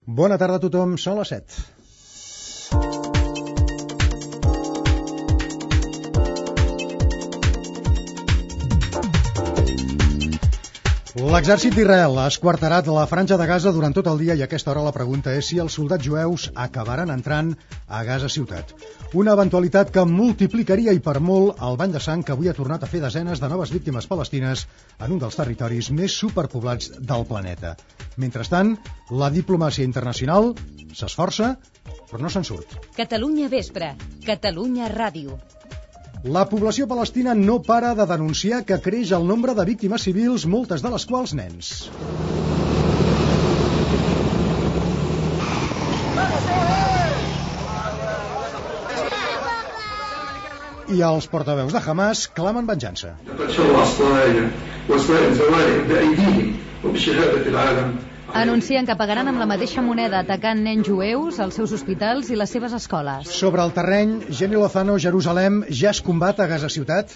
Bona tarda a tothom, són les 7. L'exèrcit d'Israel ha esquarterat la franja de Gaza durant tot el dia i a aquesta hora la pregunta és si els soldats jueus acabaran entrant a Gaza ciutat. Una eventualitat que multiplicaria i per molt el bany de sang que avui ha tornat a fer desenes de noves víctimes palestines en un dels territoris més superpoblats del planeta. Mentrestant, la diplomàcia internacional s'esforça, però no se'n surt. Catalunya Vespre, Catalunya Ràdio. La població palestina no para de denunciar que creix el nombre de víctimes civils, moltes de les quals nens. I els portaveus de Hamas clamen venjança. Anuncien que pagaran amb la mateixa moneda atacant nens jueus, els seus hospitals i les seves escoles. Sobre el terreny, Jenny Lozano, Jerusalem, ja es combat a Gaza ciutat?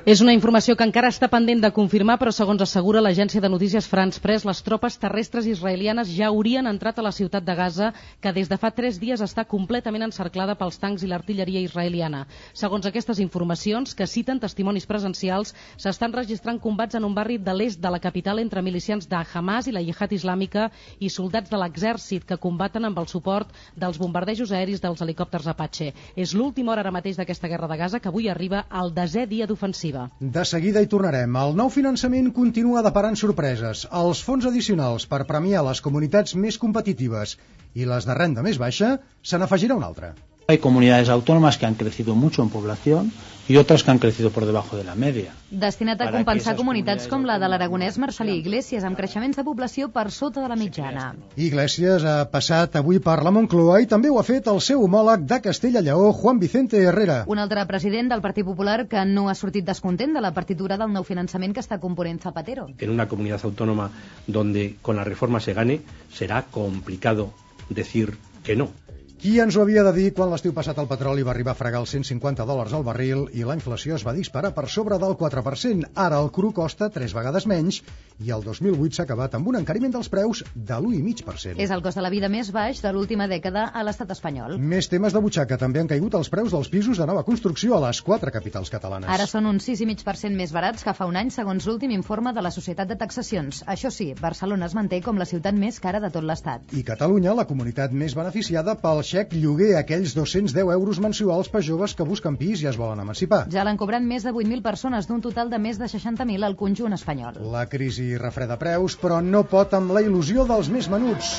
És una informació que encara està pendent de confirmar, però segons assegura l'agència de notícies France Press, les tropes terrestres israelianes ja haurien entrat a la ciutat de Gaza, que des de fa 3 dies està completament encerclada pels tancs i l'artilleria israeliana. Segons aquestes informacions, que citen testimonis presencials, s'estan registrant combats en un barri de l'est de la capital entre milicians de Hamas i la Jihad Islàmica i soldats de l'exèrcit que combaten amb el suport dels bombardejos aeris dels helicòpters Apache. És l'última hora ara mateix d'aquesta guerra de Gaza, que avui arriba al 10è dia d'ofensiva. De seguida hi tornarem. El nou finançament continua deparant sorpreses. Els fons addicionals per premiar les comunitats més competitives i les de renda més baixa se n'afegirà una altra. Hay comunidades autónomas que han crecido mucho en población y otras que han crecido por debajo de la media. Destinat a compensar comunitats com la de l'aragonès Marcelí Iglesias, amb creixements de població per sota de la mitjana. Iglesias ha passat avui per la Moncloa i també ho ha fet el seu homòleg de Castella i Lleó, Juan Vicente Herrera. Un altre president del Partit Popular que no ha sortit descontent de la partitura del nou finançament que està component Zapatero. En una comunidad autónoma donde con la reforma se gane, será complicado decir que no. Qui ens ho havia de dir quan l'estiu passat el petroli va arribar a fregar els $150 al barril i la inflació es va disparar per sobre del 4%. Ara el cru costa 3 vegades menys i el 2008 s'ha acabat amb un encariment dels preus de l'1,5%. És el cost de la vida més baix de l'última dècada a l'estat espanyol. Més temes de butxaca. També han caigut els preus dels pisos de nova construcció a les 4 capitals catalanes. Ara són un 6,5% més barats que fa un any, segons l'últim informe de la Societat de Taxacions. Això sí, Barcelona es manté com la ciutat més cara de tot l'estat. I Catalunya, la comunitat més beneficiada pel xec lloguer, aquells 210 euros mensuals per joves que busquen pis i es volen emancipar. Ja l'han cobrant més de 8.000 persones, d'un total de més de 60.000 al conjunt espanyol. La crisi refreda preus, però no pot amb la il·lusió dels més menuts.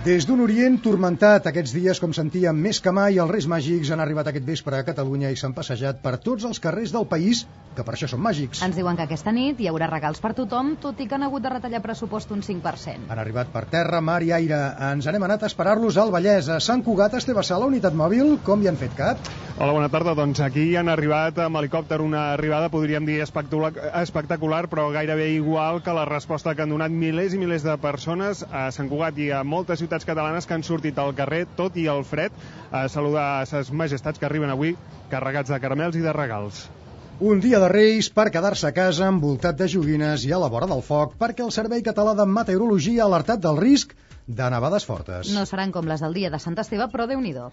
Des d'un Orient turmentat aquests dies, com sentíem, més que mai, els Reis Màgics han arribat aquest vespre a Catalunya i s'han passejat per tots els carrers del país, que per això són màgics. Ens diuen que aquesta nit hi haurà regals per tothom, tot i que han hagut de retallar pressupost un 5%. Han arribat per terra, mar i aire. Ens n'hem anat a esperar-los al Vallès, a Sant Cugat, Esteve Sala, unitat mòbil. Com hi han fet cap? Hola, bona tarda. Doncs aquí han arribat amb helicòpter, una arribada, podríem dir, espectacular, però gairebé igual que la resposta que han donat milers i milers de persones a Sant Cugat i a moltes ciutats catalanes que han sortit al carrer, tot i el fred, a saludar a ses majestats que arriben avui carregats de caramels i de regals. Un dia de Reis per quedar-se a casa envoltat de joguines i a la vora del foc, perquè el Servei Català de Meteorologia ha alertat del risc de nevades fortes. No seran com les del dia de Sant Esteve, però Déu-n'hi-do.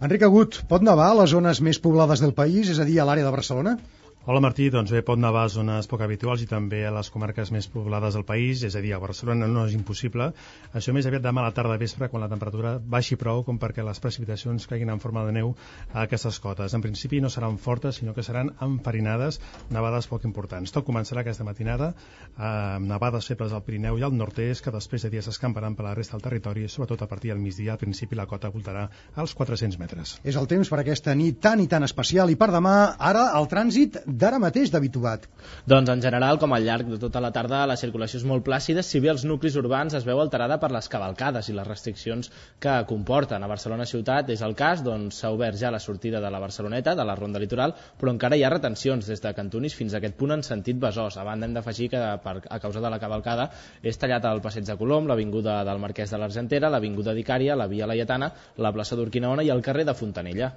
Enric Agut, pot nevar a les zones més poblades del país, és a dir, a l'àrea de Barcelona? Hola Martí, doncs bé, pot nevar a zones poc habituals i també a les comarques més poblades del país, és a dir, a Barcelona no és impossible. Això més aviat demà a la tarda vespre, quan la temperatura baixi prou com perquè les precipitacions caiguin en forma de neu a aquestes cotes. En principi no seran fortes, sinó que seran enfarinades, nevades poc importants. Tot començarà aquesta matinada amb nevades febles al Pirineu i al nord-est, que després de dies s'escamparan per la resta del territori, sobretot a partir del migdia. Al principi la cota voltarà als 400 metres. És el temps per aquesta nit tan i tan especial, i per demà, ara el trànsit d'ara mateix d'habituat. Doncs en general, com al llarg de tota la tarda, la circulació és molt plàcida, si bé els nuclis urbans es veu alterada per les cavalcades i les restriccions que comporten. A Barcelona ciutat és el cas, doncs s'ha obert ja la sortida de la Barceloneta, de la Ronda Litoral, però encara hi ha retencions des de Cantunis fins a aquest punt en sentit Besòs. A banda hem d'afegir que a causa de la cavalcada és tallat el Passeig de Colom, l'avinguda del Marquès de l'Argentera, l'avinguda d'Icària, la Via Laietana, la plaça d'Urquinaona i el carrer de Fontanella.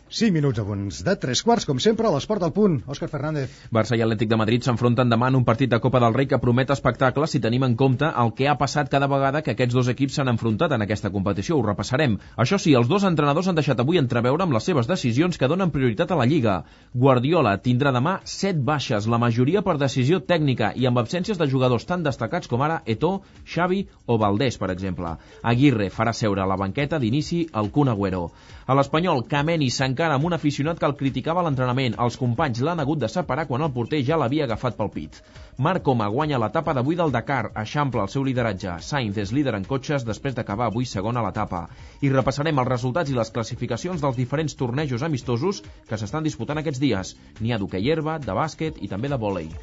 5 minuts abans de 3 quarts, com sempre, a l'Esport al Punt. Òscar Fernández. Barça i Atlètic de Madrid s'enfronten demà en un partit de Copa del Rei que promet espectacle si tenim en compte el que ha passat cada vegada que aquests dos equips s'han enfrontat en aquesta competició. Ho repassarem. Això sí, els dos entrenadors han deixat avui entreveure amb les seves decisions que donen prioritat a la Lliga. Guardiola tindrà demà 7 baixes, la majoria per decisió tècnica i amb absències de jugadors tan destacats com ara Eto'o, Xavi o Valdés, per exemple. Aguirre farà seure a la banqueta d'inici el Kun Agüero. A l'Espanyol, Kameni s'encara amb un aficionat que el criticava a l'entrenament. Els companys l'han hagut de separar quan el porter ja l'havia agafat pel pit. Marc Coma guanya l'etapa d'avui del Dakar, eixampla el seu lideratge. Sainz és líder en cotxes després d'acabar avui segon a l'etapa. I repassarem els resultats i les classificacions dels diferents tornejos amistosos que s'estan disputant aquests dies. N'hi ha d'hoquei herba, de bàsquet i també de vòlei.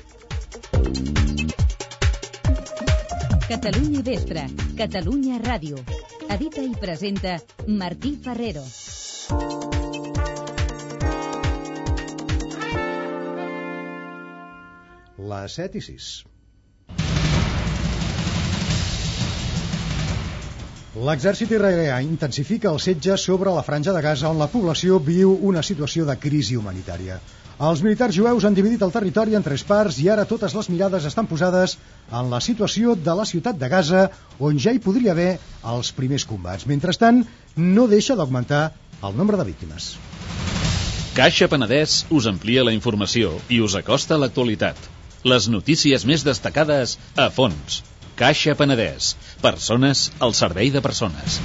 Catalunya Vespre, Catalunya Ràdio. Edita i presenta Martí Ferrero. Les 7:06. L'exèrcit israelià intensifica el setge sobre la franja de Gaza, on la població viu una situació de crisi humanitària. Els militars jueus han dividit el territori en 3 parts i ara totes les mirades estan posades en la situació de la ciutat de Gaza, on ja hi podria haver els primers combats. Mentrestant, no deixa d'augmentar el nombre de víctimes. Caixa Penedès us amplia la informació i us acosta a l'actualitat. Les notícies més destacades a fons. Caixa Penedès. Persones al servei de persones.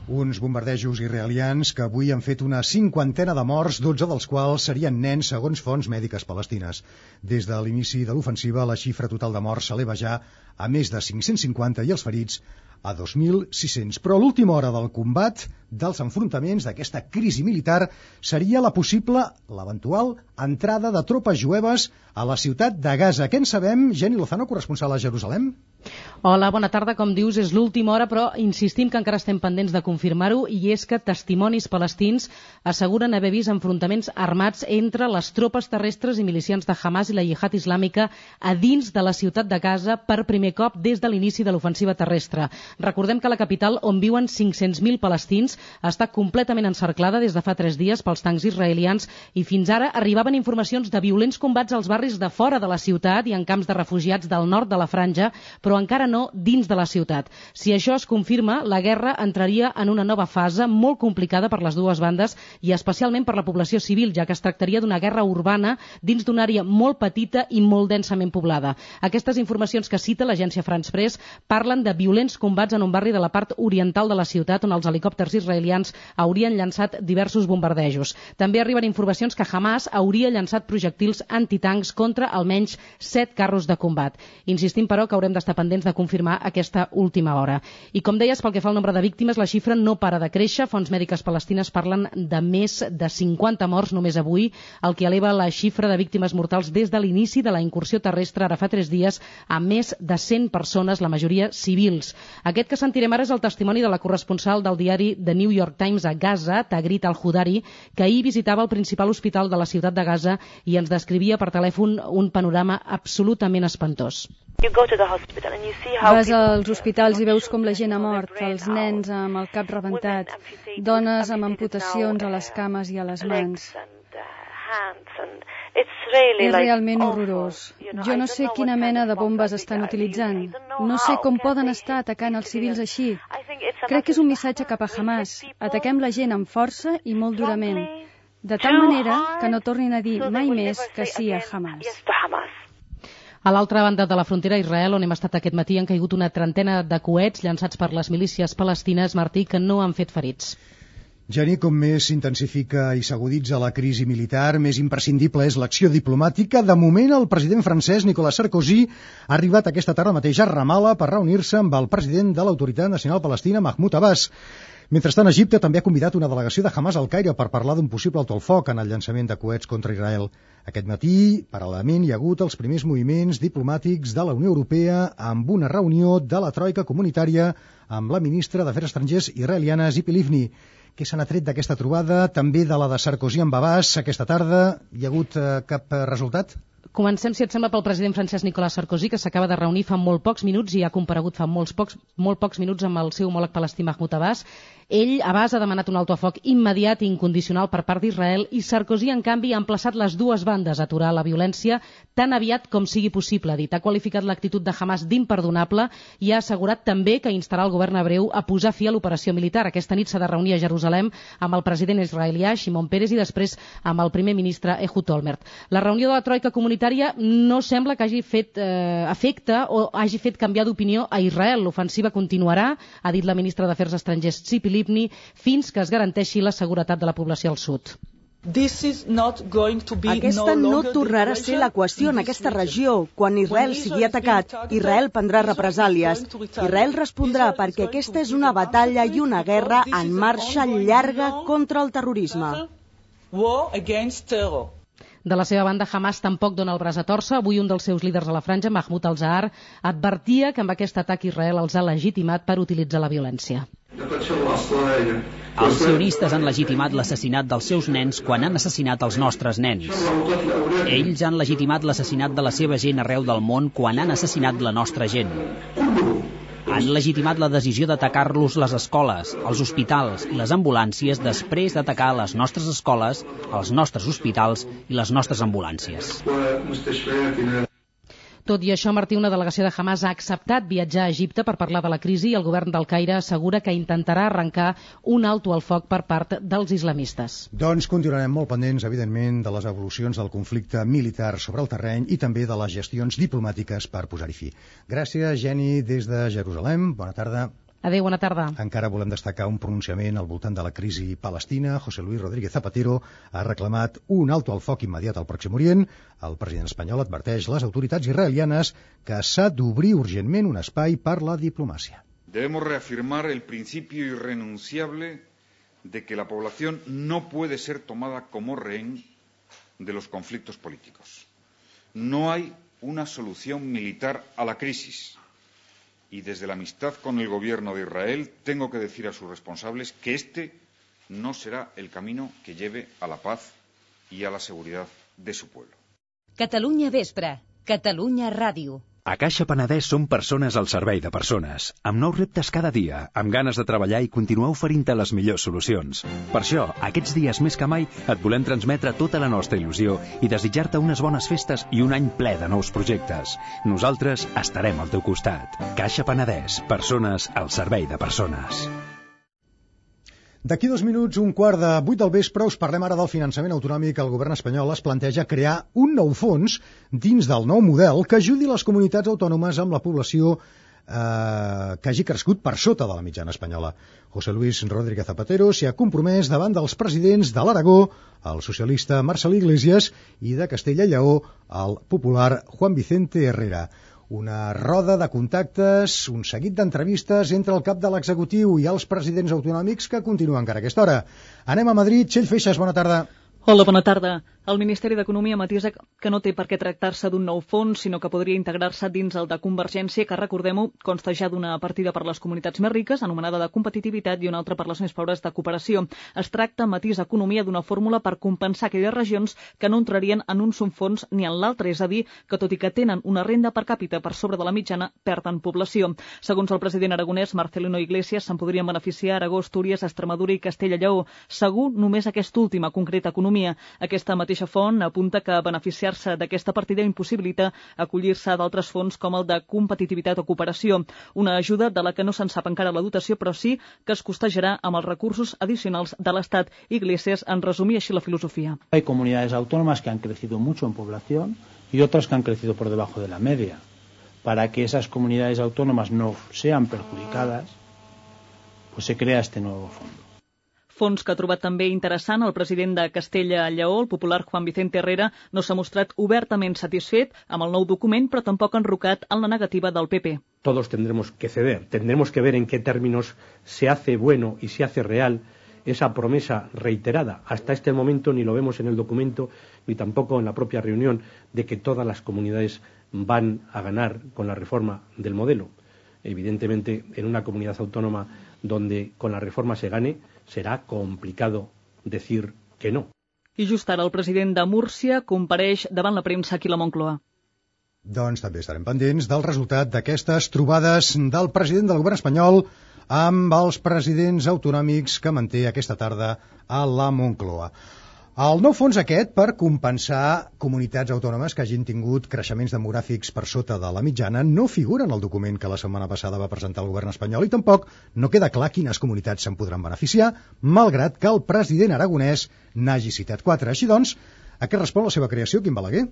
Uns bombardejos israelians que avui han fet una 50ena de morts, 12 dels quals serien nens, segons fonts mèdiques palestines. Des de l'inici de l'ofensiva, la xifra total de morts s'eleva ja a més de 550 i els ferits a 2.600. Però a l'última hora del combat, dels enfrontaments, d'aquesta crisi militar, seria l'eventual entrada de tropes jueves a la ciutat de Gaza. Què en sabem? Jenny Lozano, corresponsal a Jerusalem. Hola, bona tarda. Com dius, és l'última hora, però insistim que encara estem pendents de confirmar-ho, i és que testimonis palestins asseguren haver vist enfrontaments armats entre les tropes terrestres i milicians de Hamas i la Jihad Islàmica a dins de la ciutat de Gaza per primer cop des de l'inici de l'ofensiva terrestre. Recordem que la capital, on viuen 500.000 palestins, està completament encerclada des de fa 3 dies pels tancs israelians i fins ara arribaven informacions de violents combats als barris de fora de la ciutat i en camps de refugiats del nord de la franja, però encara no dins de la ciutat. Si això es confirma, la guerra entraria en una nova fase molt complicada per les dues bandes i especialment per la població civil, ja que es tractaria d'una guerra urbana dins d'una àrea molt petita i molt densament poblada. Aquestes informacions que cita l'agència France Press parlen de violents combats en un barri de la part oriental de la ciutat on els helicòpters israelians haurien llançat diversos bombardejos. També arriben informacions que Hamas hauria llançat projectils antitancs contra almenys 7 carros de combat. Insistim, però, que haurem d'estar pendents de confirmar aquesta última hora. I com deies, pel que fa al nombre de víctimes, la xifra no para de créixer. Fonts mèdiques palestines parlen de més de 50 morts només avui, el que eleva la xifra de víctimes mortals des de l'inici de la incursió terrestre ara fa 3 dies a més de 100 persones, la majoria civils. Aquest que sentirem ara és el testimoni de la corresponsal del diari The New York Times a Gaza, Tagrit Al-Hudari, que ahir visitava el principal hospital de la ciutat de Gaza i ens descrivia per telèfon un panorama absolutament espantós. Vas als hospitals i veus com la gent ha mort, els nens amb el cap rebentat, dones amb amputacions a les cames i a les mans. És realment horrorós. Jo no sé quina mena de bombes estan utilitzant. No sé com poden estar atacant els civils així. Crec que és un missatge cap a Hamas. Ataquem la gent amb força i molt durament, de tal manera que no tornin a dir mai més que sí a Hamas. A l'altra banda de la frontera, Israel, on hem estat aquest matí, han caigut una trentena de coets llançats per les milícies palestines, Martí, que no han fet ferits. Jenny, com més s'intensifica i s'aguditza la crisi militar, més imprescindible és l'acció diplomàtica. De moment, el president francès, Nicolas Sarkozy, ha arribat aquesta tarda mateix a Ramallah per reunir-se amb el president de l'Autoritat Nacional Palestina, Mahmoud Abbas. Mentrestant, Egipte també ha convidat una delegació de Hamas al Caire per parlar d'un possible alto el foc en el llançament de coets contra Israel. Aquest matí, paral·lelament, hi ha hagut els primers moviments diplomàtics de la Unió Europea amb una reunió de la troika comunitària amb la ministra d'Afers Estrangers israeliana Tzipi Livni. Què se n'ha tret d'aquesta trobada? També de la de Sarkozy amb Abbas aquesta tarda. Hi ha hagut cap resultat? Comencem, si et sembla, pel president francès Nicolas Sarkozy, que s'acaba de reunir fa molt pocs minuts i ha comparegut fa molt pocs minuts amb el seu homòleg palestí Mahmoud Abbas. Ell, Abbas, ha demanat un alto a foc immediat i incondicional per part d'Israel i Sarkozy, en canvi, ha emplaçat les dues bandes a aturar la violència tan aviat com sigui possible. Ha dit, ha qualificat l'actitud de Hamas d'imperdonable i ha assegurat també que instarà el govern hebreu a posar fi a l'operació militar. Aquesta nit s'ha de reunir a Jerusalem amb el president israelià Shimon Peres i després amb el primer ministre Ehud Olmert. La reunió de la troika comunitària no sembla que hagi fet efecte o hagi fet canviar d'opinió a Israel. L'ofensiva continuarà, ha dit la ministra d'Afers Estrangers Tzipi Livni, fins que es garanteixi la seguretat de la població al sud. Aquesta no tornarà a ser la qüestió en aquesta regió. Quan Israel sigui atacat, Israel prendrà represàlies. Israel respondrà perquè aquesta és una batalla i una guerra en marxa llarga contra el terrorisme. De la seva banda, Hamas tampoc dona el braç a tòrcer. Avui un dels seus líders a la franja, Mahmoud al-Zahar, advertia que amb aquest atac Israel els ha legitimat per utilitzar la violència. Els sionistes han legitimat l'assassinat dels seus nens quan han assassinat els nostres nens. Ells han legitimat l'assassinat de la seva gent arreu del món quan han assassinat la nostra gent. Han legitimat la decisió d'atacar-los les escoles, els hospitals i les ambulàncies després d'atacar les nostres escoles, els nostres hospitals i les nostres ambulàncies. Tot i això, Martí, una delegació de Hamas ha acceptat viatjar a Egipte per parlar de la crisi i el govern del Caire assegura que intentarà arrencar un alto al foc per part dels islamistes. Doncs continuarem molt pendents, evidentment, de les evolucions del conflicte militar sobre el terreny i també de les gestions diplomàtiques per posar-hi fi. Gràcies, Geni, des de Jerusalem. Bona tarda. Adéu, bona tarda. Encara volem destacar un pronunciament al voltant de la crisi palestina. José Luis Rodríguez Zapatero ha reclamat un alto al foc immediat al Pròxim Orient. El president espanyol adverteix les autoritats israelianes que s'ha d'obrir urgentment un espai per la diplomàcia. Debemos reafirmar el principio irrenunciable de que la población no puede ser tomada como rehén de los conflictos políticos. No hay una solución militar a la crisis. Y desde la amistad con el gobierno de Israel tengo que decir a sus responsables que este no será el camino que lleve a la paz y a la seguridad de su pueblo. Catalunya Vespre, Catalunya Ràdio. A Caixa Penedès som persones al servei de persones, amb nous reptes cada dia, amb ganes de treballar i continuar oferint-te les millors solucions. Per això, aquests dies més que mai, et volem transmetre tota la nostra il·lusió i desitjar-te unes bones festes i un any ple de nous projectes. Nosaltres estarem al teu costat. Caixa Penedès, persones al servei de persones. D'aquí 2 minuts, 7:15 del vespre, us parlem ara del finançament autonòmic. El govern espanyol es planteja crear un nou fons dins del nou model que ajudi les comunitats autònomes amb la població que hagi crescut per sota de la mitjana espanyola. José Luis Rodríguez Zapatero s'hi ha compromès davant dels presidents de l'Aragó, el socialista Marcel Iglesias, i de Castella i Lleó, el popular Juan Vicente Herrera. Una roda de contactes, un seguit d'entrevistes entre el cap de l'executiu i els presidents autonòmics que continuen encara a aquesta hora. Anem a Madrid. Txell Feixas, bona tarda. Hola, bona tarda. El Ministeri d'Economia matisa que no té per què tractar-se d'un nou fons, sinó que podria integrar-se dins el de Convergència, que, recordem-ho, consta ja d'una partida per les comunitats més riques, anomenada de competitivitat, i una altra per les més pobres de cooperació. Es tracta, matís Economia, d'una fórmula per compensar aquelles regions que no entrarien en un subfons ni en l'altre, és a dir, que tot i que tenen una renda per càpita per sobre de la mitjana, perden població. Segons el president aragonès, Marcelino Iglesias, se'n podrien beneficiar Aragó, Astúries, Extremadura i Castella i Lleó. Segur, només aquesta última, concreta Economia. Aquesta mateixa font apunta que beneficiar-se d'aquesta partida impossibilita acollir-se a d'altres fons com el de competitivitat o cooperació, una ajuda de la que no se'n sap encara la dotació, però sí que es costejarà amb els recursos addicionals de l'Estat. Iglesias en resumia així la filosofia. Hay comunidades autónomas que han crecido mucho en población y otras que han crecido por debajo de la media. Para que esas comunidades autónomas no sean perjudicadas, pues se crea este nuevo fondo. Fons que ha trobat també interessant el president de Castella i Lleó, el popular Juan Vicente Herrera, no s'ha mostrat obertament satisfet amb el nou document, però tampoc enrocat en la negativa del PP. Todos tendremos que ceder, tendremos que ver en qué términos se hace bueno y se hace real esa promesa reiterada. Hasta este momento ni lo vemos en el documento ni tampoco en la propia reunión de que todas las comunidades van a ganar con la reforma del modelo. Evidentemente, en una comunidad autónoma donde con la reforma se gane, será complicado decir que no. I just ara el president de Múrcia compareix davant la premsa aquí a la Moncloa. Doncs també estarem pendents del resultat d'aquestes trobades del president del govern espanyol amb els presidents autonòmics que manté aquesta tarda a la Moncloa. El nou fons aquest per compensar comunitats autònomes que hagin tingut creixements demogràfics per sota de la mitjana no figura en el document que la setmana passada va presentar el govern espanyol i tampoc no queda clar quines comunitats se'n podran beneficiar, malgrat que el president aragonès n'hagi citat 4. Així doncs, a què respon la seva creació, Quim Balaguer?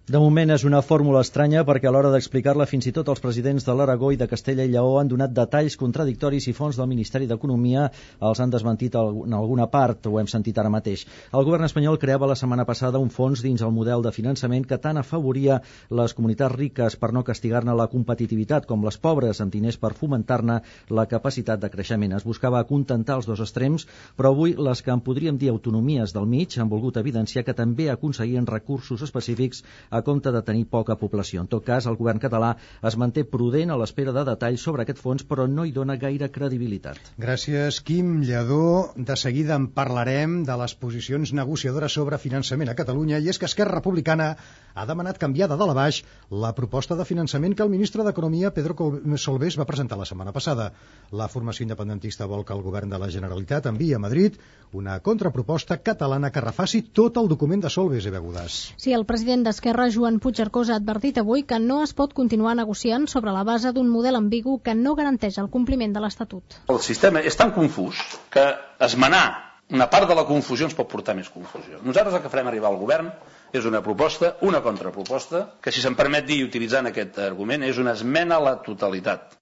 De moment és una fórmula estranya perquè a l'hora d'explicar-la fins i tot els presidents de l'Aragó i de Castella i Lleó han donat detalls contradictoris i fonts del Ministeri d'Economia els han desmentit en alguna part, ho hem sentit ara mateix. El govern espanyol creava la setmana passada un fons dins el model de finançament que tant afavoria les comunitats riques per no castigar-ne la competitivitat com les pobres amb diners per fomentar-ne la capacitat de creixement. Es buscava acontentar els dos extrems, però avui les que en podríem dir autonomies del mig han volgut evidenciar que també aconseguien recursos específics a compte de tenir poca població. En tot cas, el govern català es manté prudent a l'espera de detalls sobre aquest fons, però no hi dona gaire credibilitat. Gràcies, Quim Lledó. De seguida en parlarem de les posicions negociadores sobre finançament a Catalunya, i és que Esquerra Republicana ha demanat canviar de dalt a baix la proposta de finançament que el ministre d'Economia, Pedro Solbes, va presentar la setmana passada. La formació independentista vol que el govern de la Generalitat enviï a Madrid una contraproposta catalana que refaci tot el document de Solbes, Eva Godàs. Sí, el president d'Esquerra, Joan Puigcercós, ha advertit avui que no es pot continuar negociant sobre la base d'un model ambigu que no garanteix el compliment de l'Estatut. El sistema és tan confús que esmenar una part de la confusió ens pot portar més confusió. Nosaltres el que farem arribar al govern és una proposta, una contraproposta, que si se'm permet dir, utilitzant aquest argument, és una esmena a la totalitat.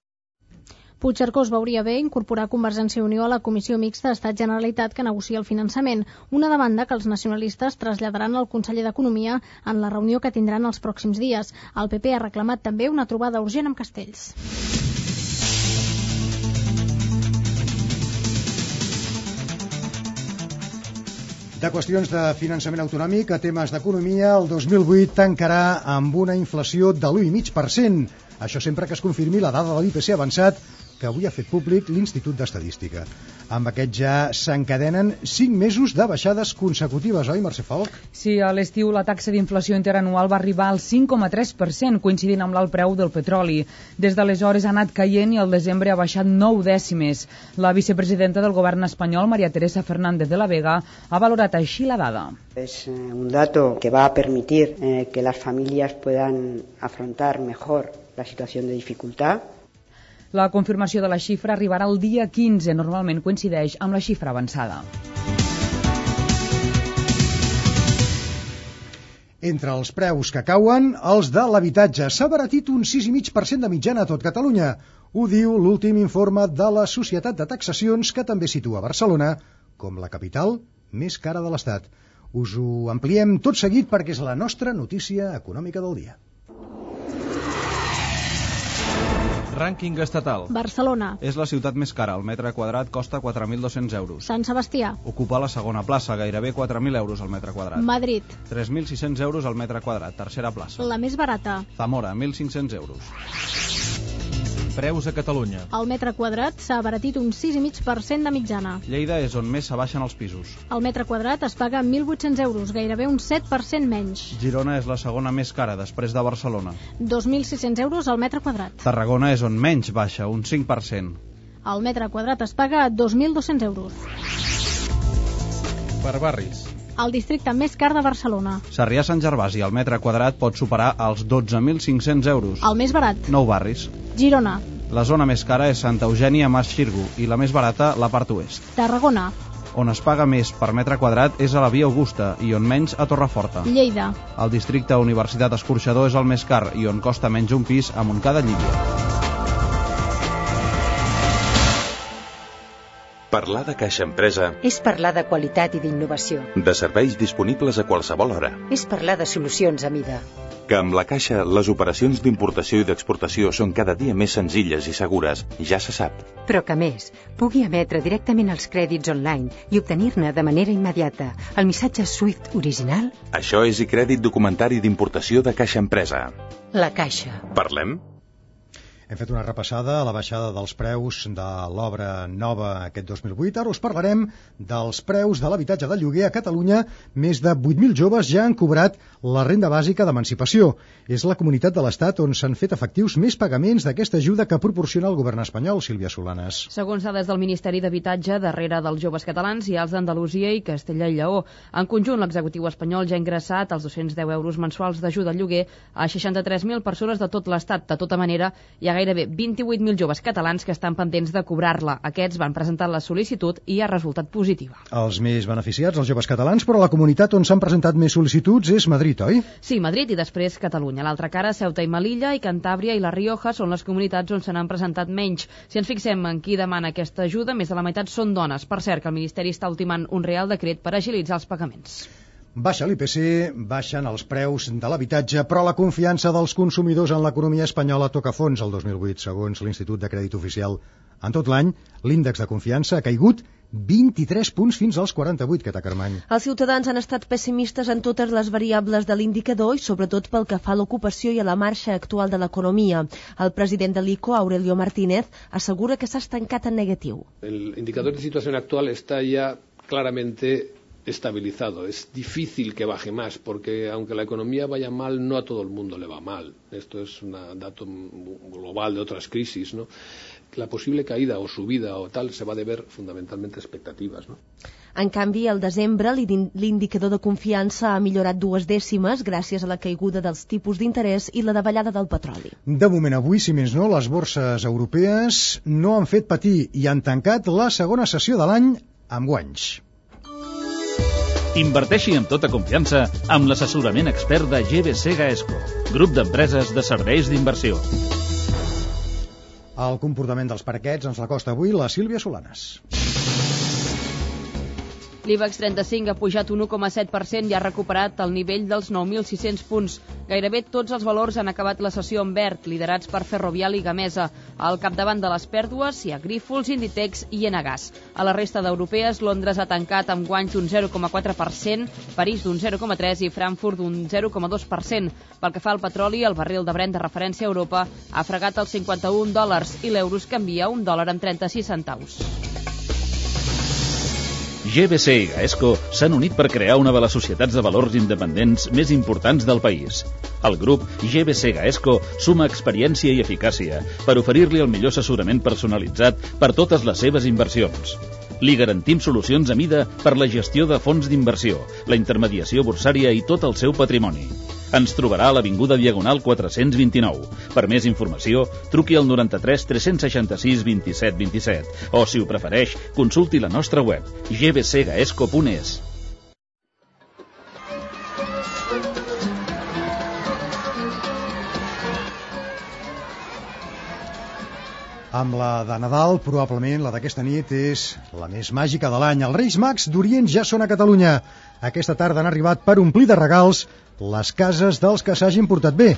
Puigcercós veuria bé incorporar Convergència i Unió a la Comissió Mixta Estat-Generalitat que negocia el finançament, una demanda que els nacionalistes traslladaran al conseller d'Economia en la reunió que tindran els pròxims dies. El PP ha reclamat també una trobada urgent amb Castells. De qüestions de finançament autonòmic a temes d'economia, el 2008 tancarà amb una inflació de l'1,5%. Això sempre que es confirmi la dada de l'IPC avançat que avui ha fet públic l'Institut d'Estadística. Amb aquest ja s'encadenen 5 mesos de baixades consecutives, oi, Mercè Falc? Sí, a l'estiu la taxa d'inflació interanual va arribar al 5,3%, coincidint amb l'alt preu del petroli. Des d'aleshores ha anat caient i al desembre ha baixat 9 dècimes. La vicepresidenta del govern espanyol, María Teresa Fernández de la Vega, ha valorat així la dada. Es un dato que va a permitir que las familias puedan afrontar mejor la situación de dificultad. La confirmació de la xifra arribarà el dia 15, normalment coincideix amb la xifra avançada. Entre els preus que cauen, els de l'habitatge. S'ha abaratit un 6,5% de mitjana a tot Catalunya. Ho diu l'últim informe de la Societat de Taxacions, que també situa Barcelona com la capital més cara de l'Estat. Us ho ampliem tot seguit perquè és la nostra notícia econòmica del dia. Rànquing estatal. Barcelona. És la ciutat més cara. El metre quadrat costa 4.200 euros. Sant Sebastià. Ocupa la segona plaça, gairebé 4.000 euros al metre quadrat. Madrid. 3.600 euros al metre quadrat, tercera plaça. La més barata. Zamora, 1.500 euros. Preus a Catalunya. El metre quadrat s'ha abaratit un 6,5% de mitjana. Lleida és on més s'abaixen els pisos. El metre quadrat es paga 1.800 euros, gairebé un 7% menys. Girona és la segona més cara, després de Barcelona. 2.600 euros al metre quadrat. Tarragona és on menys baixa, un 5%. El metre quadrat es paga 2.200 euros. Per barris. El districte més car de Barcelona. Sarrià-Sant Gervasi, el metre quadrat pot superar els 12.500 euros. El més barat. 9 barris. Girona. La zona més cara és Santa Eugènia Mas Xirgu i la més barata la part oest. Tarragona. On es paga més per metre quadrat és a la Via Augusta i on menys a Torreforta. Lleida. El districte Universitat Escorxador és el més car i on costa menys un pis a Montcada Llívia. Parlar de Caixa Empresa és parlar de qualitat i d'innovació. De serveis disponibles a qualsevol hora. És parlar de solucions a mida. Que amb la Caixa les operacions d'importació i d'exportació són cada dia més senzilles i segures, ja se sap. Però que més, pugui emetre directament els crèdits online i obtenir-ne de manera immediata el missatge SWIFT original. Això és iCrèdit documentari d'importació de Caixa Empresa. La Caixa. Parlem? Hem fet una repassada a la baixada dels preus de l'obra nova aquest 2008. Ara us parlarem dels preus de l'habitatge de lloguer a Catalunya. Més de 8.000 joves ja han cobrat la renda bàsica d'emancipació. És la comunitat de l'Estat on s'han fet efectius més pagaments d'aquesta ajuda que proporciona el govern espanyol, Sílvia Solanes. Segons dades del Ministeri d'Habitatge, darrere dels joves catalans hi ha els d'Andalusia i Castella i Lleó. En conjunt, l'executiu espanyol ja ha ingressat els 210 euros mensuals d'ajuda al lloguer a 63.000 persones de tot l'Estat. De tota manera, hi ha gairebé 28.000 joves catalans que estan pendents de cobrar-la. Aquests van presentar la sol·licitud i ha resultat positiva. Els més beneficiats, els joves catalans, però la comunitat on s'han presentat més sol·licituds és Madrid, oi? Sí, Madrid i després Catalunya. A l'altra cara, Ceuta i Melilla i Cantàbria i la Rioja són les comunitats on se n'han presentat menys. Si ens fixem en qui demana aquesta ajuda, més de la meitat són dones. Per cert, que el Ministeri està ultimant un real decret per agilitzar els pagaments. Baixa l'IPC, baixen els preus de l'habitatge, però la confiança dels consumidors en l'economia espanyola toca fons el 2008, segons l'Institut de Crèdit Oficial. En tot l'any, l'índex de confiança ha caigut 23 punts fins als 48, Cata Carmany. Els ciutadans han estat pessimistes en totes les variables de l'indicador i sobretot pel que fa a l'ocupació i a la marxa actual de l'economia. El president de l'ICO, Aurelio Martínez, assegura que s'ha estancat en negatiu. El indicador de situación actual está ya claramente estabilizado. Es difícil que baje más porque aunque la economía vaya mal, no a todo el mundo le va mal. Esto es un dato global de otras crisis, ¿no? La posible caída o subida o tal se va a deber fundamentalmente a expectativas, ¿no? En canvi, al desembre, l'indicador de confiança ha millorat 2 dècimes gràcies a la caiguda dels tipus d'interès i la davallada del petroli. De moment, avui, si més no, les borses europees no han fet patir i han tancat la segona sessió de l'any amb guanys. Inverteixi amb tota confiança amb l'assessorament expert de GBC Gaesco, grup d'empreses de serveis d'inversió. El comportament dels parquets ens l'acosta avui la Sílvia Solanes. L'IBEX 35 ha pujat un 1,7% i ha recuperat el nivell dels 9.600 punts. Gairebé tots els valors han acabat la sessió en verd, liderats per Ferrovial i Gamesa. Al capdavant de les pèrdues hi ha Grifols, Inditex i Enagas. A la resta d'europees, Londres ha tancat amb guanys d'un 0,4%, París d'un 0,3% i Frankfurt d'un 0,2%. Pel que fa al petroli, el barril de Brent de referència a Europa ha fregat els $51 i l'euro es canvia a $1,36. GBC i Gaesco s'han unit per crear una de les societats de valors independents més importants del país. El grup GBC Gaesco suma experiència i eficàcia per oferir-li el millor assessorament personalitzat per totes les seves inversions. Li garantim solucions a mida per la gestió de fons d'inversió, la intermediació borsària i tot el seu patrimoni. Ens trobarà a l'Avinguda Diagonal 429. Per més informació, truqui al 93 366 27 27 o, si ho prefereix, consulti la nostra web gbcgaesco.es. Amb la de Nadal, probablement la d'aquesta nit és la més màgica de l'any. Els Reis Mags d'Orient ja són a Catalunya. Aquesta tarda han arribat per omplir de regals les cases dels que s'hagin portat bé.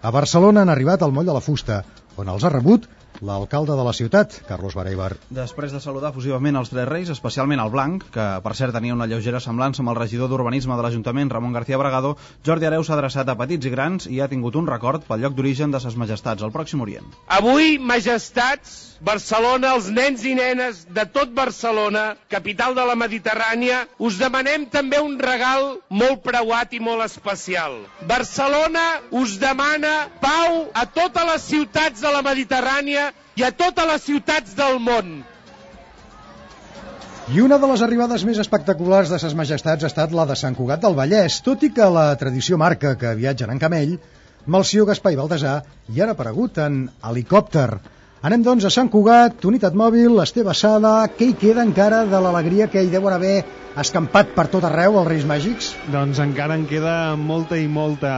A Barcelona han arribat al Moll de la Fusta, on els ha rebut l'alcalde de la ciutat, Carlos Bareibar. Després de saludar efusivament els tres reis, especialment el blanc, que per cert tenia una lleugera semblança amb el regidor d'Urbanisme de l'Ajuntament, Ramon García Bragado, Jordi Hereu s'ha adreçat a petits i grans i ha tingut un record pel lloc d'origen de ses majestats, al Pròxim Orient. Avui, majestats, Barcelona, els nens i nenes de tot Barcelona, capital de la Mediterrània, us demanem també un regal molt preuat i molt especial. Barcelona us demana pau a totes les ciutats de la Mediterrània i a totes les ciutats del món. I una de les arribades més espectaculars de ses majestats ha estat la de Sant Cugat del Vallès, tot i que la tradició marca que viatgen en camell, Melcior, Gaspar i Baltasar hi han aparegut en helicòpter. Anem doncs a Sant Cugat, unitat mòbil, Esteve Sala, què hi queda encara de l'alegria que hi deuen haver escampat per tot arreu els Reis Màgics? Doncs encara en queda molta i molta.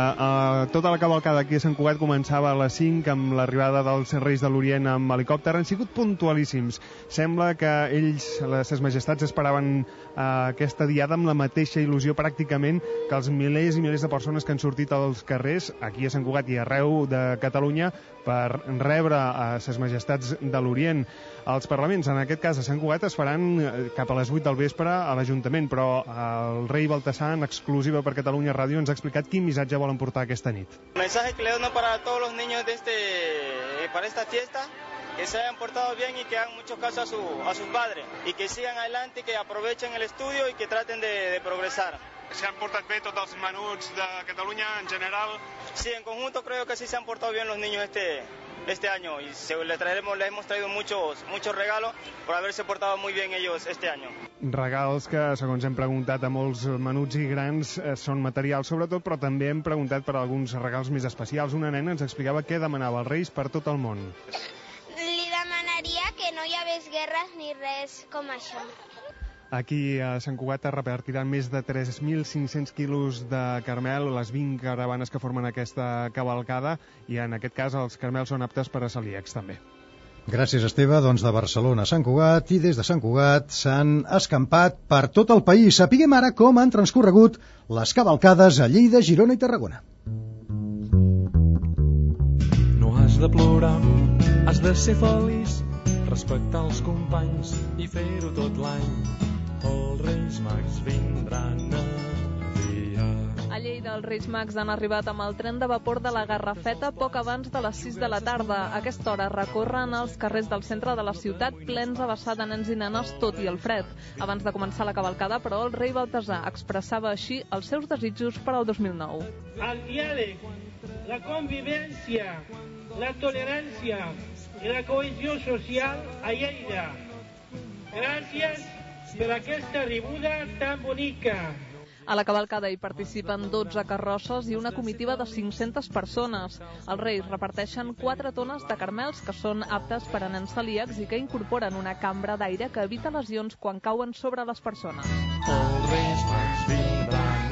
Tota la cavalcada aquí a Sant Cugat començava a les 5 amb l'arribada dels Reis de l'Orient amb helicòpter. Han sigut puntualíssims. Sembla que ells, les majestats, esperaven aquesta diada amb la mateixa il·lusió pràcticament que els milers i milers de persones que han sortit als carrers aquí a Sant Cugat i arreu de Catalunya per rebre a ses majestats de l'Orient. Els parlaments, en aquest cas a Sant Cugat, es faran cap a les 8 del vespre a l'Ajuntament, però el rei Baltasar, en exclusiva per Catalunya Ràdio, ens ha explicat quin missatge volen portar aquesta nit. El mensaje que le doy para todos los niños de para esta fiesta, que se hayan portado bien y que hagan mucho caso a sus padres y que sigan adelante, que aprovechen el estudio y que traten de progresar. ¿Se han portat bé tots els menuts de Catalunya en general? Sí, en conjunto creo que sí se han portado bien los niños este año y les hemos traído muchos regalos por haberse portado muy bien ellos este año. Regals que, segons hem preguntat a molts menuts i grans, són materials sobretot, però també hem preguntat per alguns regals més especials. Una nena ens explicava què demanava als Reis per tot el món. Li demanaria que no hi hagués guerres ni res com això. Aquí a Sant Cugat es repartiran més de 3.500 quilos de caramel, les 20 caravanes que formen aquesta cavalcada, i en aquest cas els caramels són aptes per a celíacs també. Gràcies, Esteve. Doncs de Barcelona a Sant Cugat, i des de Sant Cugat s'han escampat per tot el país. Sapiguem ara com han transcorregut les cavalcades a Lleida, Girona i Tarragona. No has de plorar, has de ser feliç, respectar els companys i fer-ho tot l'any. Els Reis Mags vindran aviat. A Lleida, els Reis Mags han arribat amb el tren de vapor de la Garrafeta poc abans de les 6 de la tarda. A aquesta hora recorren els carrers del centre de la ciutat plens a vessar de nens i nenes, tot i el fred. Abans de començar la cavalcada, però, el rei Baltasar expressava així els seus desitjos per al 2009. El diàleg, la convivència, la tolerància i la cohesió social a Lleida. Gràcies per aquesta ribuda tan bonica. A la cavalcada hi participen 12 carrosses i una comitiva de 500 persones. Els Reis reparteixen 4 tones de caramels que són aptes per a nens celíacs i que incorporen una cambra d'aire que evita lesions quan cauen sobre les persones. Els Reis Mags vindran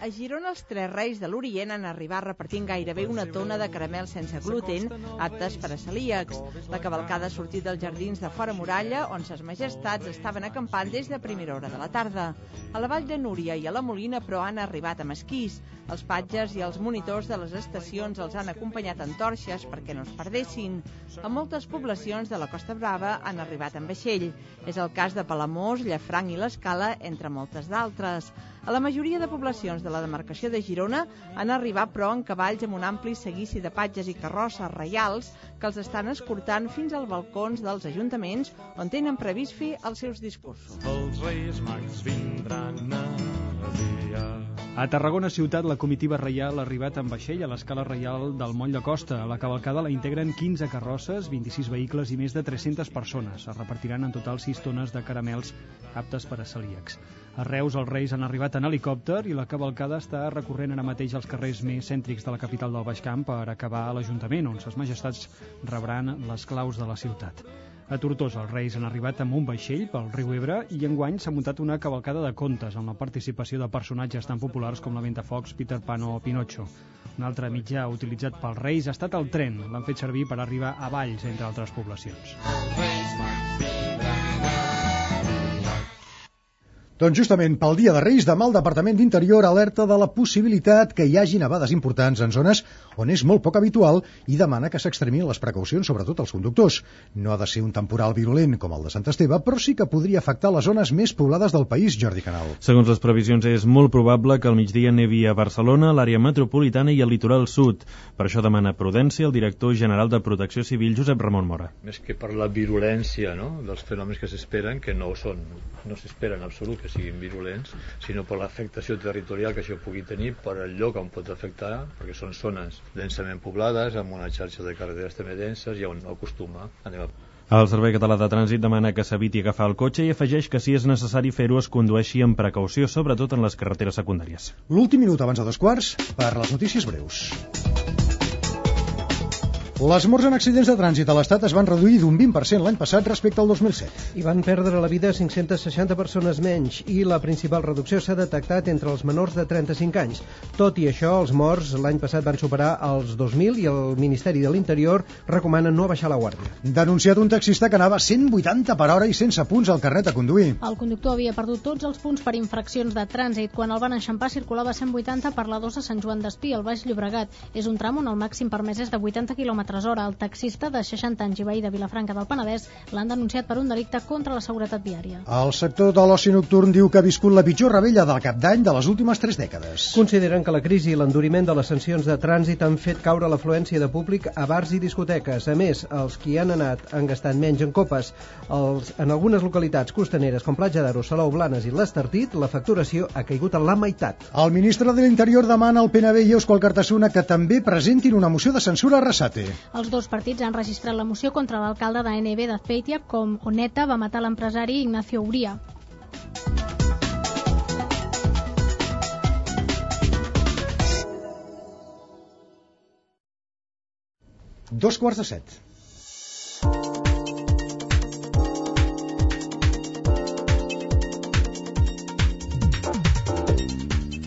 A Girona, els 3 Reis de l'Orient han arribat repartint gairebé una tona de caramels sense gluten, aptes per a celíacs. La cavalcada ha sortit dels jardins de Fora Muralla, on ses majestats estaven acampant des de primera hora de la tarda. A la Vall de Núria i a la Molina, però, han arribat amb esquís. Els patges i els monitors de les estacions els han acompanyat en torxes perquè no es perdessin. A moltes poblacions de la Costa Brava han arribat en vaixell. És el cas de Palamós, Llafranc i l'Escala, entre moltes d'altres. A la majoria de poblacions de la demarcació de Girona han arribat, però, en cavalls amb un ampli seguici de patges i carrosses reials que els estan escortant fins als balcons dels ajuntaments on tenen previst fer els seus discursos. Els Reis Mags vindran aviat. A Tarragona ciutat, la comitiva reial ha arribat en vaixell a l'escala reial del Moll de Costa. A la cavalcada la integren 15 carrosses, 26 vehicles i més de 300 persones. Es repartiran en total 6 tones de caramels aptes per a celíacs. A Reus, els Reis han arribat en helicòpter i la cavalcada està recorrent ara mateix els carrers més cèntrics de la capital del Baix Camp per acabar a l'Ajuntament, on ses majestats rebran les claus de la ciutat. A Tortosa, els Reis han arribat amb un vaixell pel riu Ebre i enguany s'ha muntat una cavalcada de contes amb la participació de personatges tan populars com la Ventafocs, Peter Pan o Pinocho. Un altre mitjà utilitzat pels Reis ha estat el tren. L'han fet servir per arribar a Valls, entre altres poblacions. Doncs justament pel Dia de Reis, demà el Departament d'Interior alerta de la possibilitat que hi hagi nevades importants en zones on és molt poc habitual i demana que s'extremin les precaucions, sobretot als conductors. No ha de ser un temporal virulent com el de Sant Esteve, però sí que podria afectar les zones més poblades del país, Jordi Canal. Segons les previsions, és molt probable que al migdia nevi a Barcelona, l'àrea metropolitana i el litoral sud. Per això demana prudència el director general de Protecció Civil, Josep Ramon Mora. Més que per la virulència, no?, dels fenòmens que s'esperen, que no s'espera en absolut que siguin virulents, sinó per l'afectació territorial que això pugui tenir, per el lloc on pot afectar, perquè són zones densament poblades, amb una xarxa de carreteres també denses i on acostuma a nevar. El Servei Català de Trànsit demana que s'eviti agafar el cotxe i afegeix que si és necessari fer-ho es condueixi amb precaució, sobretot en les carreteres secundàries. L'últim minut abans de 2:15 per les notícies breus. Les morts en accidents de trànsit a l'Estat es van reduir d'un 20% l'any passat respecte al 2007. Hi van perdre la vida 560 persones menys i la principal reducció s'ha detectat entre els menors de 35 anys. Tot i això, els morts l'any passat van superar els 2.000 i el Ministeri de l'Interior recomana no baixar la guàrdia. Denunciat un taxista que anava 180 per hora i sense punts al carnet a conduir. El conductor havia perdut tots els punts per infraccions de trànsit. Quan el van enxampar circulava 180 per la 2 a Sant Joan d'Espí, al Baix Llobregat. És un tram on el màxim permès és de 80 km Tresora. El taxista de 60 anys i veí de Vilafranca del Penedès l'han denunciat per un delicte contra la seguretat viària. El sector de l'oci nocturn diu que ha viscut la pitjor rebella del Cap d'Any de les últimes 3 dècades. Consideren que la crisi i l'enduriment de les sancions de trànsit han fet caure l'afluència de públic a bars i discoteques. A més, els qui han anat han gastat menys en copes. En algunes localitats costaneres com Platja d'Aro, Salou, Blanes i l'Estartit, la facturació ha caigut a la meitat. El ministre de l'Interior demana al PNB i Eusko Alkartasuna que també presentin una moció de censura a Arrasate. Els dos partits han registrat la moció contra l'alcalde d'ANB d'Azpeitia, com Oneta va matar l'empresari Ignacio Uría. Dos quarts de 7.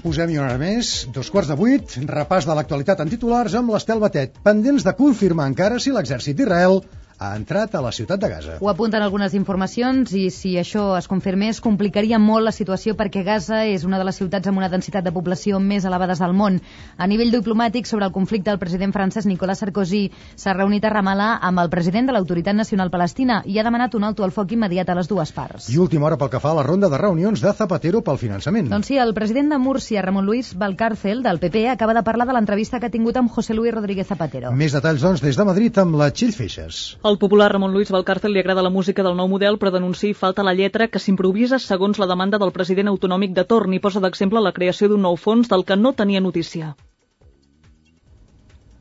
Posem-hi una hora més, 7:15, repàs de l'actualitat en titulars amb l'Estel Batet, pendents de confirmar encara si l'exèrcit d'Israel ha entrat a la ciutat de Gaza. Ho apunten algunes informacions i si això es confirmés complicaria molt la situació perquè Gaza és una de les ciutats amb una densitat de població més elevades del món. A nivell diplomàtic, sobre el conflicte, el president francès Nicolas Sarkozy s'ha reunit a Ramallah amb el president de l'Autoritat Nacional Palestina i ha demanat un alto al foc immediat a les dues parts. I última hora pel que fa a la ronda de reunions de Zapatero pel finançament. Doncs sí, el president de Múrcia, Ramon Luis Valcárcel, del PP, acaba de parlar de l'entrevista que ha tingut amb José Luis Rodríguez Zapatero. Més detalls, doncs, des de Madrid amb la Txell Feixes. Al popular Ramon Luis Valcárcel li agrada la música del nou model, però denuncia falta la lletra que s'improvisa segons la demanda del president autonòmic de torn i posa d'exemple la creació d'un nou fons del que no tenia notícia.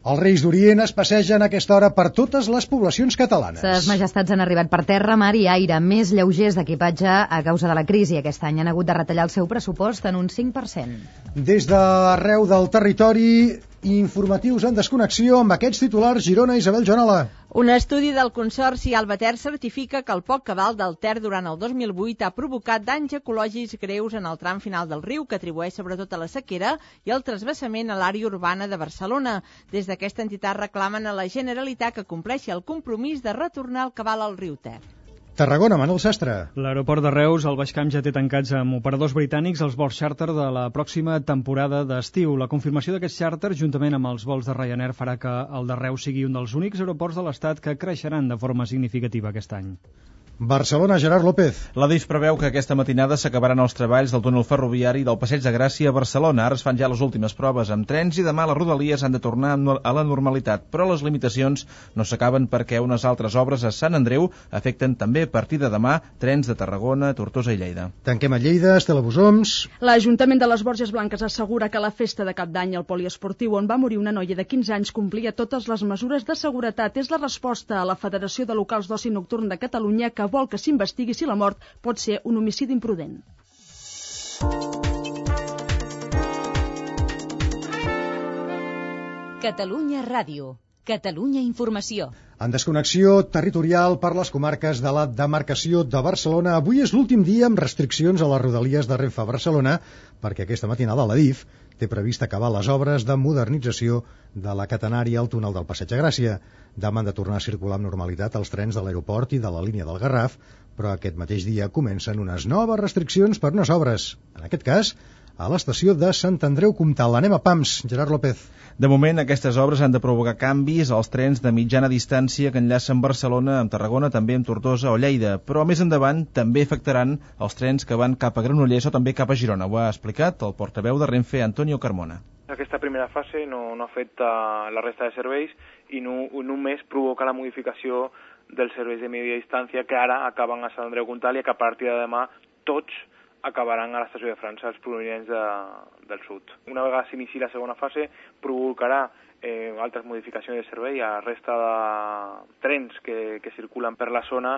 Els Reis d'Orient es passegen a aquesta hora per totes les poblacions catalanes. Ses majestats han arribat per terra, mar i aire, més lleugers d'equipatge a causa de la crisi. Aquest any han hagut de retallar el seu pressupost en un 5%. Des d'arreu del territori, informatius en desconnexió amb aquests titulars. Girona, Isabel Joanola. Un estudi del Consorci Alba Ter certifica que el poc cabal del Ter durant el 2008 ha provocat danys ecològics greus en el tram final del riu, que atribueix sobretot a la sequera i al transvasament a l'àrea urbana de Barcelona. Des d'aquesta entitat reclamen a la Generalitat que compleixi el compromís de retornar el cabal al riu Ter. Tarragona, Manel Sastre. L'aeroport de Reus, el Baixcamp, ja té tancats amb operadors britànics els vols xàrter de la pròxima temporada d'estiu. La confirmació d'aquests xàrter, juntament amb els vols de Ryanair, farà que el de Reus sigui un dels únics aeroports de l'Estat que creixeran de forma significativa aquest any. Barcelona, Gerard López. L'Adif preveu que aquesta matinada s'acabaran els treballs del túnel ferroviari del Passeig de Gràcia a Barcelona. Ara es fan ja les últimes proves amb trens i demà les rodalies han de tornar a la normalitat, però les limitacions no s'acaben perquè unes altres obres a Sant Andreu afecten també a partir de demà trens de Tarragona, Tortosa i Lleida. Tanquem a Lleida, Estela Bosoms. L'Ajuntament de les Borges Blanques assegura que la festa de Cap d'Any al poliesportiu on va morir una noia de 15 anys complia totes les mesures de seguretat. És la resposta a la Federació de Locals d'Oci Nocturn de Catalunya, que vol que s'investigui si la mort pot ser un homicidi imprudent. Catalunya Ràdio. Catalunya Informació. En desconnexió territorial per les comarques de la demarcació de Barcelona, avui és l'últim dia amb restriccions a les rodalies de Renfe a Barcelona, perquè aquesta matinada l'Adif té previst acabar les obres de modernització de la catenària al túnel del Passeig de Gràcia. Demà han de tornar a circular amb normalitat els trens de l'aeroport i de la línia del Garraf, però aquest mateix dia comencen unes noves restriccions per unes obres. En aquest cas, a l'estació de Sant Andreu Comtal. Anem a Pams, Gerard López. De moment, aquestes obres han de provocar canvis als trens de mitjana distància que enllacen Barcelona amb Tarragona, també amb Tortosa o Lleida, però més endavant també afectaran els trens que van cap a Granollers o també cap a Girona. Ho ha explicat el portaveu de Renfe, Antonio Carmona. Aquesta primera fase no afecta la resta de serveis i només provoca la modificació dels serveis de mitjana distància que ara acaben a Sant Andreu Comtal i que a partir de demà tots acabaran a l'estació de França, els provinents del sud. Una vegada s'inici la segona fase, provocarà altres modificacions de servei a la resta de trens que circulen per la zona.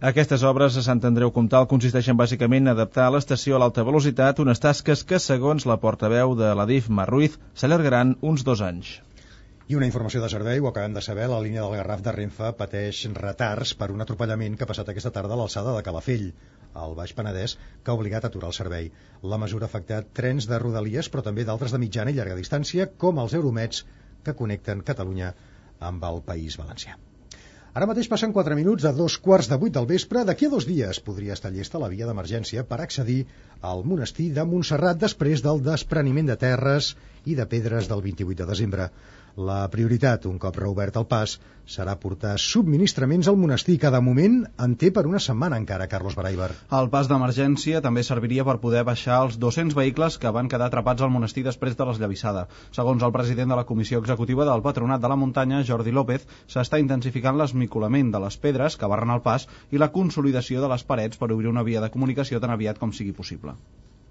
Aquestes obres a Sant Andreu Comtal consisteixen bàsicament en adaptar l'estació a l'alta velocitat, unes tasques que, segons la portaveu de l'Adif, Mar Ruiz, s'allargaran uns 2 anys. I una informació de servei, ho acabem de saber, la línia del Garraf de Renfe pateix retards per un atropellament que ha passat aquesta tarda a l'alçada de Calafell, al Baix Penedès, que ha obligat a aturar el servei. La mesura ha afectat trens de rodalies, però també d'altres de mitjana i llarga distància, com els Euromets, que connecten Catalunya amb el País Valencià. Ara mateix passen 4 minuts a 7:15 del vespre. D'aquí a 2 dies podria estar llesta la via d'emergència per accedir al monestir de Montserrat després del despreniment de terres i de pedres del 28 de desembre. La prioritat, un cop reobert el pas, serà portar subministraments al monestir, que de moment en té per una setmana encara, Carlos Baraibar. El pas d'emergència també serviria per poder baixar els 200 vehicles que van quedar atrapats al monestir després de l'esllavissada. Segons el president de la Comissió Executiva del Patronat de la Muntanya, Jordi López, s'està intensificant l'esmicolament de les pedres que barren el pas i la consolidació de les parets per obrir una via de comunicació tan aviat com sigui possible.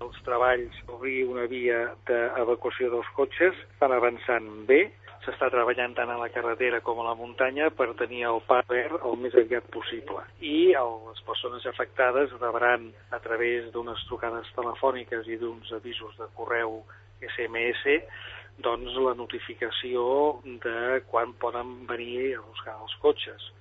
Els treballs d'obrir una via d'evacuació dels cotxes estan avançant bé. S'està treballant tant a la carretera com a la muntanya per tenir el pas verd el més aviat possible. I les persones afectades rebran a través d'unes trucades telefòniques i d'uns avisos de correu SMS doncs la notificació de quan poden venir a buscar els cotxes.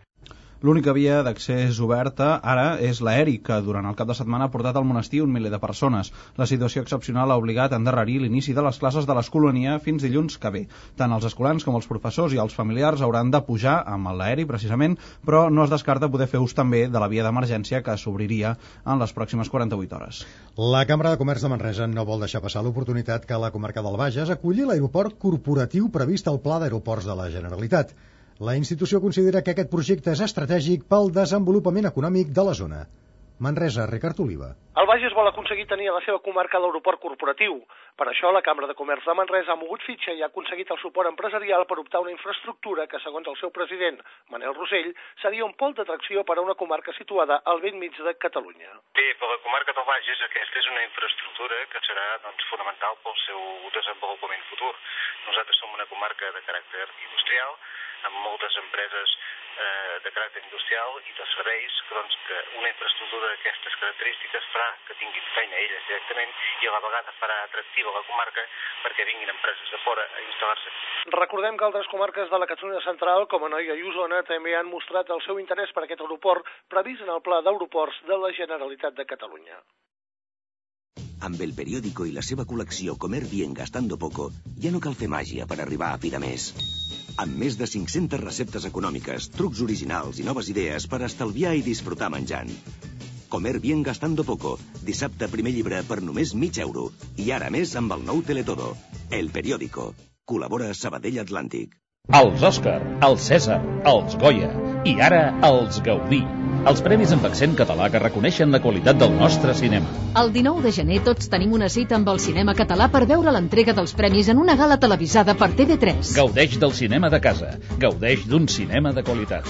L'única via d'accés oberta ara és l'aeri, que durant el cap de setmana ha portat al monestir un miler de persones. La situació excepcional ha obligat a endarrerir l'inici de les classes de l'escolania fins dilluns que ve. Tant els escolans com els professors i els familiars hauran de pujar amb l'aeri, precisament, però no es descarta poder fer ús també de la via d'emergència que s'obriria en les pròximes 48 hores. La Cambra de Comerç de Manresa no vol deixar passar l'oportunitat que la comarca del Bages aculli l'aeroport corporatiu previst al Pla d'Aeroports de la Generalitat. La institució considera que aquest projecte és estratègic pel desenvolupament econòmic de la zona. Manresa, Ricard Oliva. El Bages vol aconseguir tenir a la seva comarca l'aeroport corporatiu. Per això la Cambra de Comerç de Manresa ha mogut fitxa i ha aconseguit el suport empresarial per optar una infraestructura que, segons el seu president, Manel Rosell, seria un pol d'atracció per a una comarca situada al bell mig de Catalunya. Bé, per la comarca del Bages aquesta és una infraestructura que serà fonamental pel seu desenvolupament futur. Nosaltres som una comarca de caràcter industrial, amb moltes empreses de caràcter industrial i de serveis, que una infraestructura d'aquestes característiques farà que tinguin feina elles directament i a la vegada farà atractiva la comarca perquè vinguin empreses de fora a instal·lar-se. Recordem que altres comarques de la Catalunya Central, com Anoia i Osona, també han mostrat el seu interès per aquest aeroport previst en el Pla d'Aeroports de la Generalitat de Catalunya. Amb el periòdico i la seva col·lecció Comer bien gastando poco, ja no cal fer màgia per arribar a fi de mes. Amb més de 500 receptes econòmiques, trucs originals i noves idees per estalviar i disfrutar menjant. Comer bien gastando poco. Dissabte, primer llibre per només €0,5. I ara més amb el nou Teletodo. El periòdico. Col·labora Sabadell Atlàntic. Els Òscar, els Cèsar, els Goya i ara els Gaudí. Els premis amb accent català que reconeixen la qualitat del nostre cinema. El 19 de gener tots tenim una cita amb el cinema català per veure l'entrega dels premis en una gala televisada per TV3. Gaudeix del cinema de casa. Gaudeix d'un cinema de qualitat.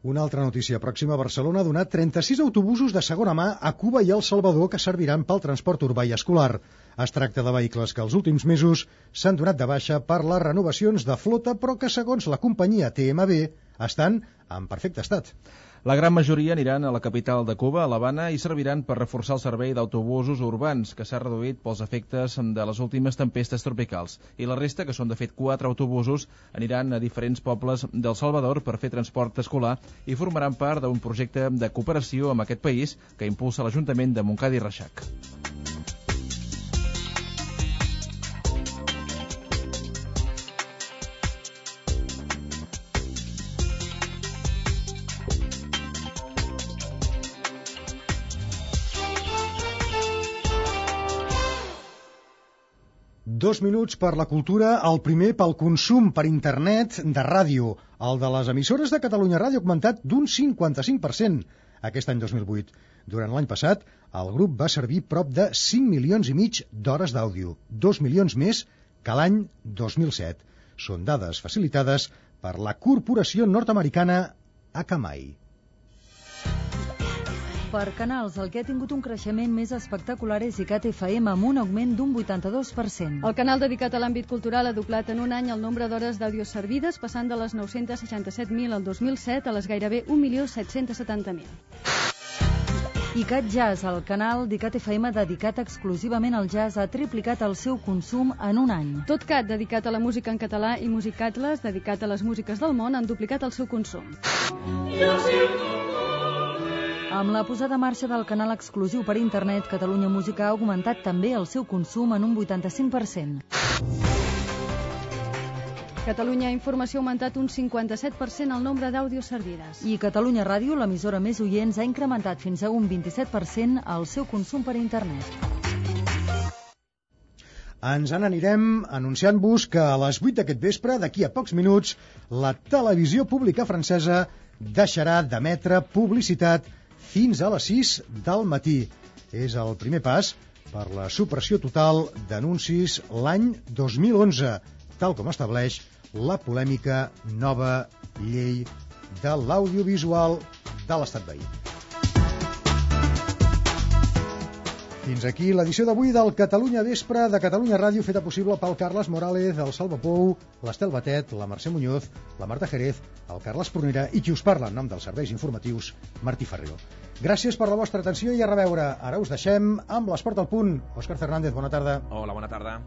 Una altra notícia pròxima. Barcelona ha donat 36 autobusos de segona mà a Cuba i El Salvador que serviran pel transport urbà i escolar. Es tracta de vehicles que els últims mesos s'han donat de baixa per les renovacions de flota, però que, segons la companyia TMB, estan en perfecte estat. La gran majoria aniran a la capital de Cuba, a l'Havana, i serviran per reforçar el servei d'autobusos urbans, que s'ha reduït pels efectes de les últimes tempestes tropicals. I la resta, que són de fet 4 autobusos, aniran a diferents pobles del Salvador per fer transport escolar i formaran part d'un projecte de cooperació amb aquest país que impulsa l'Ajuntament de Montcada i Reixac. Dos minuts per la cultura, el primer pel consum per internet de ràdio. El de les emissores de Catalunya Ràdio ha augmentat d'un 55% aquest any 2008. Durant l'any passat, el grup va servir prop de 5,5 milions d'hores d'àudio, 2 milions més que l'any 2007. Són dades facilitades per la corporació nord-americana Akamai. Per canals, el que ha tingut un creixement més espectacular és ICAT FM, amb un augment d'un 82%. El canal dedicat a l'àmbit cultural ha doblat en un any el nombre d'hores d'àudio servides, passant de les 967.000 al 2007 a les gairebé 1.770.000. ICAT Jazz, el canal d'ICAT FM dedicat exclusivament al jazz, ha triplicat el seu consum en un any. TotCat, dedicat a la música en català, i Musicatles, dedicat a les músiques del món, han duplicat el seu consum. Amb la posada en marxa del canal exclusiu per internet, Catalunya Música ha augmentat també el seu consum en un 85%. Catalunya Informació ha augmentat un 57% el nombre d'àudios servides. I Catalunya Ràdio, l'emissora més oients, ha incrementat fins a un 27% el seu consum per internet. ens n'anirem anunciant-vos que a les 8 d'aquest vespre, d'aquí a pocs minuts, la televisió pública francesa deixarà d'emetre publicitat fins a les 6 del matí. És el primer pas per la supressió total d'anuncis l'any 2011, tal com estableix la polèmica nova llei de l'audiovisual de l'estat veí. Fins aquí l'edició d'avui del Catalunya Vespre de Catalunya Ràdio, feta possible pel Carles Morales, el Salva Pou, l'Estel Batet, la Mercè Muñoz, la Marta Jerez, el Carles Prunera i qui us parla en nom dels serveis informatius, Martí Ferrero. Gràcies per la vostra atenció i a reveure. Ara us deixem amb l'Esport al Punt. Òscar Fernández, bona tarda. Hola, bona tarda.